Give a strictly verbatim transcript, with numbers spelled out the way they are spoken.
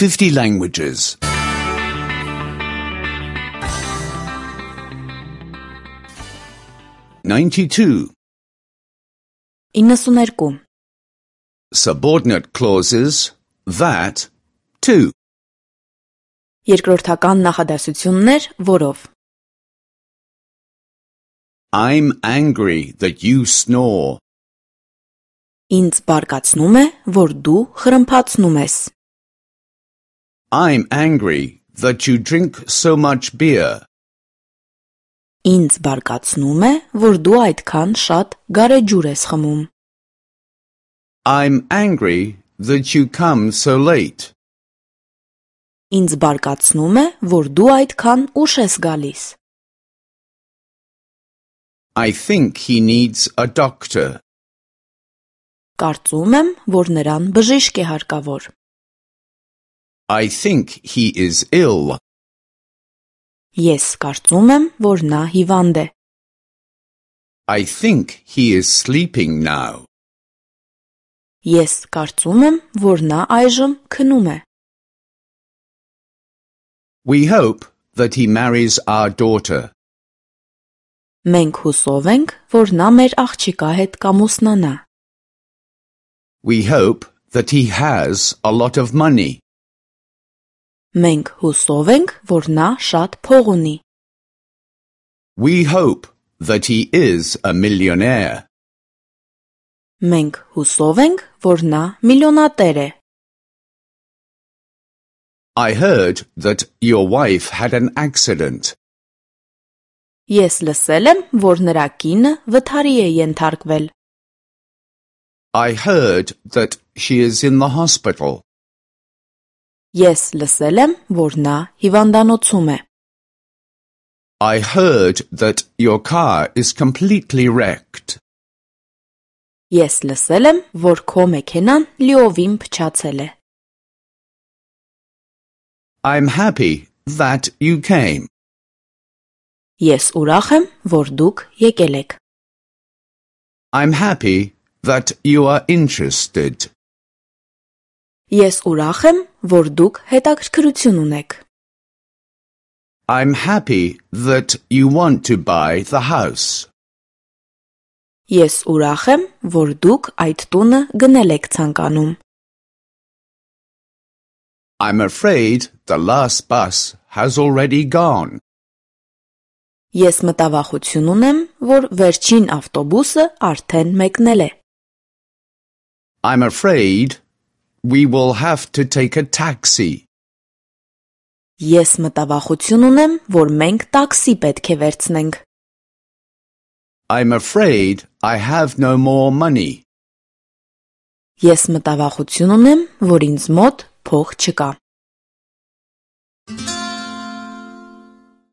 fifty languages. ninety-two. իննսուներկու. Subordinate clauses, that, to. Երկրորդական նախադասություններ, որով. I'm angry that you snore. Ինձ բարկացնում է, որ դու խրմփացնում ես. I'm angry that you drink so much beer. Ինձ բարկացնում է, որ դու այդքան շատ գարեջուր ես խմում. I'm angry that you come so late. Ինձ բարկացնում է, որ դու այդքան ուշ ես գալիս. I think he needs a doctor. Կարծում եմ, որ նրան բժիշկ է հարկավոր. I think he is ill. Ես կարծում եմ, որ նա հիվանդ է. I think he is sleeping now. Ես կարծում եմ, որ նա այժմ քնում է. We hope that he marries our daughter. Մենք հուսով ենք, որ նա մեր աղջիկա հետ կամուսնանա. We hope that he has a lot of money. Մենք հուսով ենք, որ նա շատ փող ունի. We hope that he is a millionaire. Մենք հուսով ենք, որ նա միլիոնատեր է. I heard that your wife had an accident. Ես լսել եմ, որ նրա կինը վթարի է ենթարկվել. I heard that she is in the hospital. Ես լսել եմ, որ նա հիվանդանոցում է. I heard that your car is completely wrecked. Ես լսել եմ, որ քո մեքենան լիովին փչացել է. I'm happy that you came. Ես ուրախ եմ, որ դուք եկել եք. I'm happy that you are interested. Ես ուրախ եմ, որ դուք հետաքրքրություն ունեք. I'm happy that you want to buy the house. Ես ուրախ եմ, որ դուք այդ տունը գնել եք ցանկանում. I'm afraid the last bus has already gone. Ես մտավախություն ունեմ, որ վերջին ավտոբուսը արդեն մեկնել է. I'm afraid we will have to take a taxi. Ես մտավախություն ունեմ, որ մենք տաքսի պետք է վերցնենք. I'm afraid I have no more money. Ես մտավախություն ունեմ, որ ինձ մոտ փող չկա.